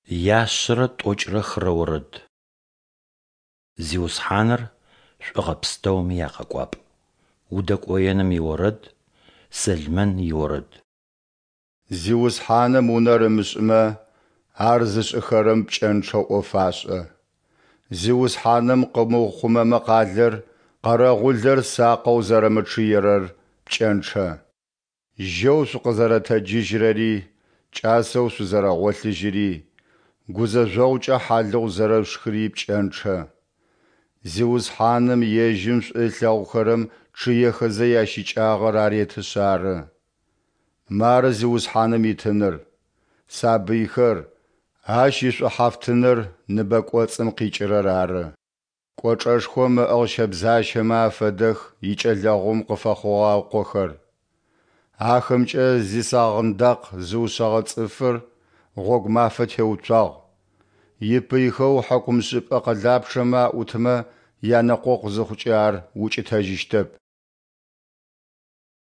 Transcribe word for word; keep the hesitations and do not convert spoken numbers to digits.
Яшъэрэ тӏокӏрэ хырэ орэд. Зиусхьаныр шӏугъэ пстэуми якъэкӏуапӏ. Удэкӏоеным иорэд. Сэлмэн иорэд. Зиусхьаным унэр ымышӏымэ, ар зышӏыхэрэм пкӏэнчъэу ӏоф ашӏэ. Зиусхьаным къымыухъумэмэ къалэр, къэрэгъулэр сакъэу зэрэмычъыерэр пкӏэнчъэ. Жьэу шъукъызэрэтэджыжьырэри, кӏасэу шъузэрэгъолъыжьыри, гузэжъогъукӏэ хьалыгъу зэрэшъушхыри пкӏэнчъэ. Зиусхьаным Ежьым шӏу ылъэгъухэрэм чъыехэзэ ящыкӏагъэр аретышъ ары. Мары Зиусхьаным итыныр, сабыйхэр, Ащ ишӏухьафтыныр ныбэ кӏоцӏым къикӏырэр ары. Кӏочӏэшхом ыӏыгъ щэбзащэмэ афэдэх икӏэлэгъум къыфэхъугъэ ыкъохэр. Ахэмкӏэ зисагъындакъ зыушъэгъэ цӏыфыр гъогу мафэ теуцуагъ, ипыйхэу хьыкумшӏыпӏэ къэлапчъэмэ аӏутмэ янэкъокъу зыхъукӏэ ар укӏытэжьыщтэп.